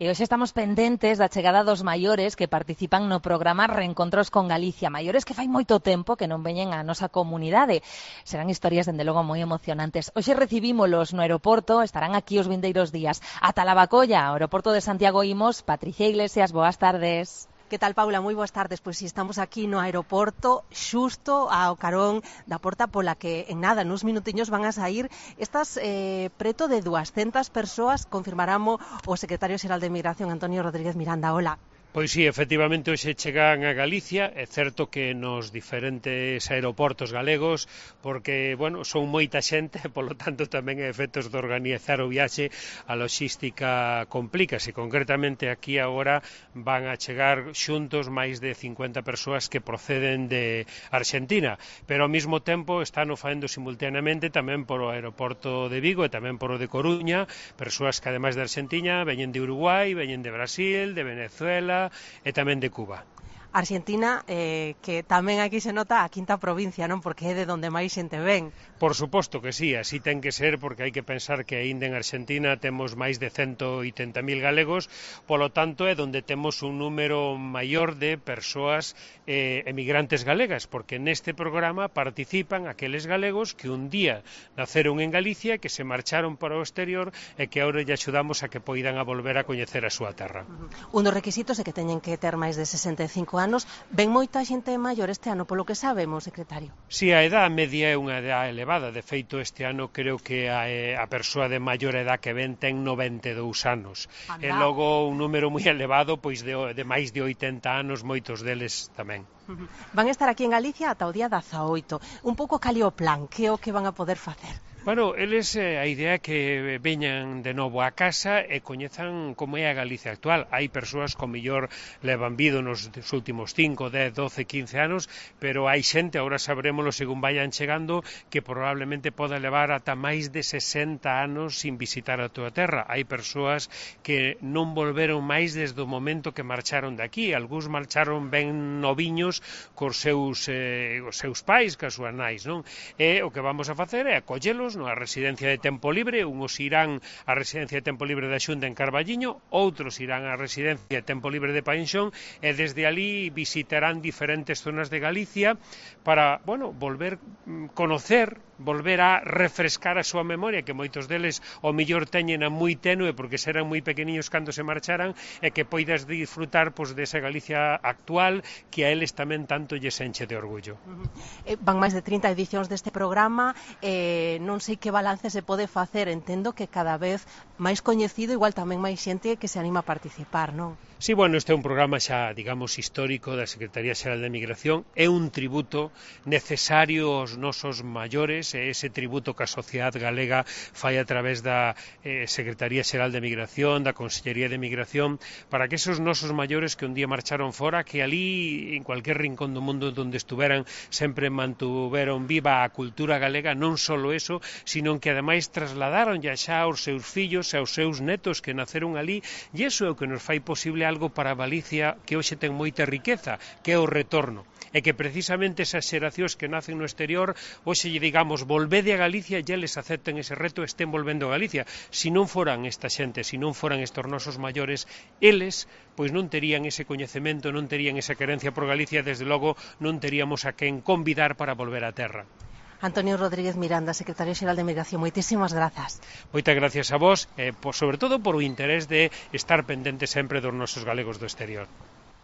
E hoxe estamos pendentes da chegada dos maiores que participan no programa Reencontros con Galicia. Maiores que fai moito tempo que non veñen á nosa comunidade. Serán historias, dende logo, moi emocionantes. Hoxe recibímolos no aeroporto, estarán aquí os vindeiros días. Ata Lavacolla, ao aeroporto de Santiago imos. Patricia Iglesias, boas tardes. Que tal, Paula? Moi boas tardes. Pois si estamos aquí no aeroporto, xusto ao carón da porta pola que en nada, nuns minutiños van a sair estas preto de 200 persoas, confirmaramo o secretario xeral de Migración, Antonio Rodríguez Miranda. Hola. Pois sí, efectivamente, hoxe chegan a Galicia, é certo que nos diferentes aeroportos galegos, porque, bueno, son moita xente, polo tanto tamén é efectos de organizar o viaxe, a logística complícase, concretamente aquí agora van a chegar xuntos máis de 50 persoas que proceden de Argentina, pero ao mesmo tempo están o faendo simultaneamente tamén por o aeroporto de Vigo e tamén por o de Coruña, persoas que ademais de Argentina veñen de Uruguai, veñen de Brasil, de Venezuela e tamén de Cuba. Argentina, que tamén aquí se nota a quinta provincia, non? Porque é de onde máis xente ven. Por suposto que sí, así ten que ser, porque hai que pensar que aínda en Argentina temos máis de 180.000 galegos, polo tanto é onde temos un número maior de persoas emigrantes galegas, porque neste programa participan aqueles galegos que un día naceron en Galicia, que se marcharon para o exterior e que agora lle axudamos a que poidan a volver a coñecer a súa terra. Un dos requisitos é que teñen que ter máis de 65 anos. Ven moita xente maior este ano, polo que sabemos, secretario. Si, a edad media é unha edad elevada. De feito, este ano creo que a persoa de maior edad que ven ten 92 anos. Anda. E logo un número moi elevado, pois de máis de 80 anos, moitos deles tamén. Van a estar aquí en Galicia ata o día 18. Un pouco cal é o plan, que é o que van a poder facer? Bueno, eles a idea é que veñan de novo a casa e coñezan como é a Galicia actual. Hai persoas que mellor levan vido nos últimos 5, 10, 12, 15 anos, pero hai xente, agora sabrémoslo según vayan chegando, que probablemente poda levar ata máis de 60 anos sin visitar a túa terra. Hai persoas que non volveron máis desde o momento que marcharon de aquí. Algúns marcharon ben noviños cos seus pais, cas súas nais, non? E o que vamos a facer é acollelos na residencia de tempo libre, uns irán á residencia de tempo libre da Xunta en Carballiño, outros irán á residencia de tempo libre de Painxón e desde ali visitarán diferentes zonas de Galicia para, bueno, volver conocer, volver a refrescar a súa memoria, que moitos deles o mellor teñen a moi tenue porque serán moi pequeniños cando se marcharan e que poidas disfrutar pois desa Galicia actual que a eles tamén tanto lles enche de orgullo. Van máis de 30 edicións deste programa, non sei que balance se pode facer, entendo que cada vez máis coñecido, igual tamén máis xente que se anima a participar, non? Sí, bueno, este é un programa xa, digamos, histórico da Secretaría Xeral de Migración, é un tributo necesario aos nosos maiores, e ese tributo que a sociedade galega fai a través da Secretaría Xeral de Migración, da Consellería de Migración, para que esos nosos maiores que un día marcharon fora, que ali, en cualquier rincón do mundo onde estuveran, sempre mantuveron viva a cultura galega, non só eso, sino que ademais trasladaron xa aos seus fillos e aos seus netos que naceron ali, e iso é o que nos fai posible algo para Galicia que hoxe ten moita riqueza, que é o retorno. E que precisamente esas xeracións que nacen no exterior, hoxe lle digamos, volvede a Galicia e eles acepten ese reto e estén volvendo a Galicia. Se non foran esta xente, se non foran estos nosos maiores, eles pois non terían ese coñecemento, non terían esa querencia por Galicia, desde logo non teríamos a quen convidar para volver á terra. Antonio Rodríguez Miranda, secretario xeral de Migración, moitísimas grazas. Moitas gracias a vos, sobre todo por o interés de estar pendente sempre dos nosos galegos do exterior.